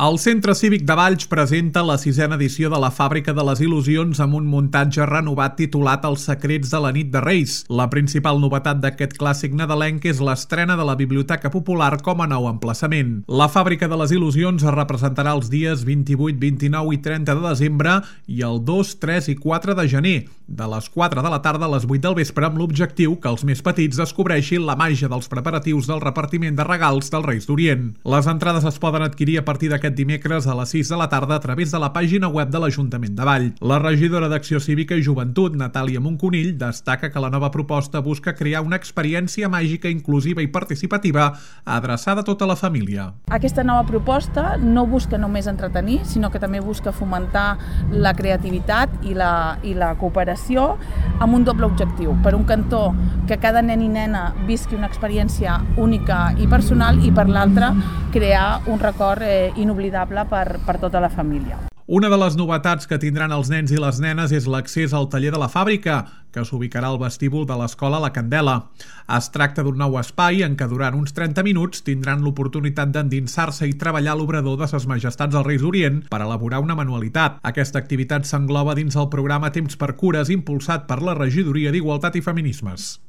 El Centre Cívic de Valls presenta la 6a edició de la Fàbrica de les Il·lusions amb un muntatge renovat titulat Els secrets de la nit de Reis. La principal novetat d'aquest clàssic nadalenc és l'estrena de la Biblioteca Popular com a nou emplaçament. La Fàbrica de les Il·lusions es representarà els dies 28, 29 i 30 de desembre i el 2, 3 i 4 de gener, de les 4 de la tarda a les 8 del vespre, amb l'objectiu que els més petits descobreixin la màgia dels preparatius del repartiment de regals dels Reis d'Orient. Les entrades es poden adquirir a partir d'aquest dimecres a les 6 de la tarda a través de la pàgina web de l'Ajuntament de Valls. La regidora d'Acció Cívica i Joventut, Natàlia Monconill, destaca que la nova proposta busca crear una experiència màgica, inclusiva i participativa adreçada a tota la família. Aquesta nova proposta no busca només entretenir, sinó que també busca fomentar la creativitat i la cooperació amb un doble objectiu. Per un cantó, que cada nen i nena visqui una experiència única i personal, i per l'altre, crear un record inoblidable per tota la família. Una de les novetats que tindran els nens i les nenes és l'accés al taller de la fàbrica, que s'ubicarà al vestíbul de l'escola La Candela. Es tracta d'un nou espai en què durant uns 30 minuts tindran l'oportunitat d'endinsar-se i treballar a l'obrador de Ses Majestats dels Reis d'Orient per elaborar una manualitat. Aquesta activitat s'engloba dins el programa Temps per Cures, impulsat per la Regidoria d'Igualtat i Feminismes.